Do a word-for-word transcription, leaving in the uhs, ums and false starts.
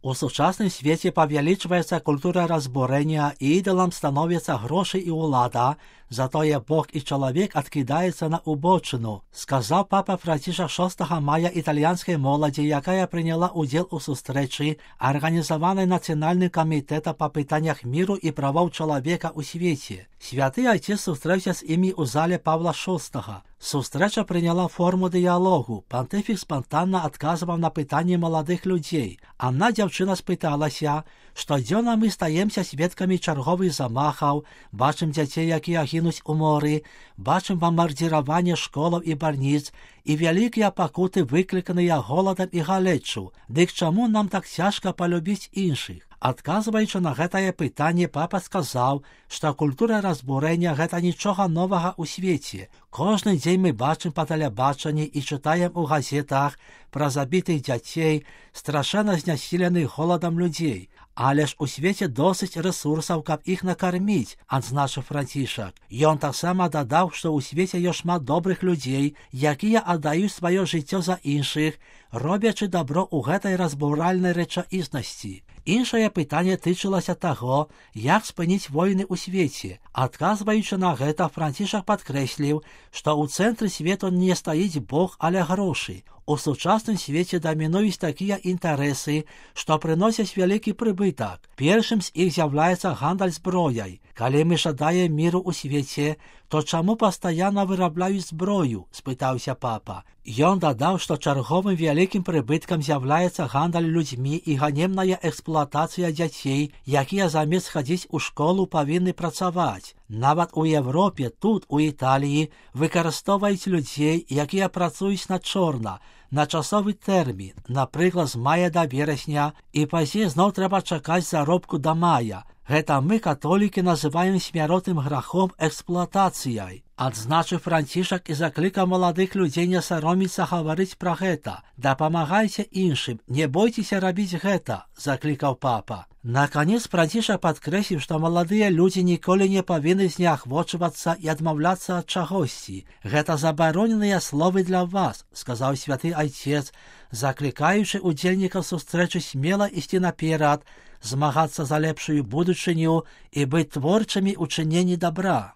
У сучасным свеце павялічваецца культура разбурэння, і ідалам становяцца грошы і ўлада, затое Бог і чалавек адкідаецца на убочыну, сказаў папа Францішак шостага мая італьянскай моладзі, якая прыняла ўдзел у сустрэчы, арганізаванай Нацыянальным камітэтам па пытаннях міру і правоў чалавека ў свеце. Святы Айцец сустрэўся з імі ў зале Павла шостага. Сустрэча прыняла форму дыялогу. Пантыфік спантанна адказваў на пытанні маладых людзей. Адна дзяўчына спыталася, штодзённа мы стаемся сведкамі чарговых замахаў, бачым дзяцей, якія гінуць у моры, бачым бамбардзіраванне школаў і бальніц, і вялікія пакуты, выкліканыя голадам і галеччу. Дык чаму нам так цяжка палюбіць іншых? Адказваючы на гэтае пытанне, папа сказаў, што культура разбурэння – гэта нічога новага ў свеце. Кожны дзень мы бачым па тэлебачанні і чытаем у газетах пра забітых дзяцей, страшэнна знясіленых голадам людзей. Але ж у свеце досыць рэсурсаў, каб іх накарміць, адзначыў Францішак. Ён таксама дадаў, што ў свеце ёсць шмат добрых людзей, якія аддаюць сваё жыццё за іншых, робячы дабро ў гэтай разбуральнай рэчаіснасці. Іншае пытанне тычылася таго, як спыніць войны ў свеце. Адказваючы на гэта, Францішак падкрэсліў, што ў цэнтры свету не стаіць Бог, але грошы. У сучасным свеце дамінуюць такія інтарэсы, што прыносяць вялікі прыбытак. Першым з іх з'яўляецца гандаль зброяй. Калі мы жадаем міру ў свеце, то чаму пастаянна вырабляюць зброю? Спытаўся папа. Ён дадаў, што чарговым вялікім прыбыткам з'яўляецца гандаль людзьмі і ганебная эксплуатацыя дзяцей, якія замест хадзіць у школу павінны працаваць. Нават у Европе, тут, у Італіі, выкарыстоўваюць людзей, якія працуюць на чорна, на часовы тэрмін, напрыклад, з мая да верасня, і пазней зноў трэба чакаць заробку да мая. Гэта мы, католікі, называем смяротным грахом эксплуатацыяй. Адзначыў Францішак і заклікаў маладых людзей не сароміцца гаварыць пра гэта. Дапамагайце іншым, не бойцеся рабіць гэта, заклікаў папа. Наканец Францішак падкрэсліў, што маладыя людзі ніколі не павінны зняхвочвацца і адмаўляцца ад чагосьці. Гэта забароненыя словы для вас, сказаў святы Айцец, заклікаючы удзельнікаў сустрэчы смела ісці наперад, змагацца за лепшую будучыню і быць творчымі ў чыненні дабра.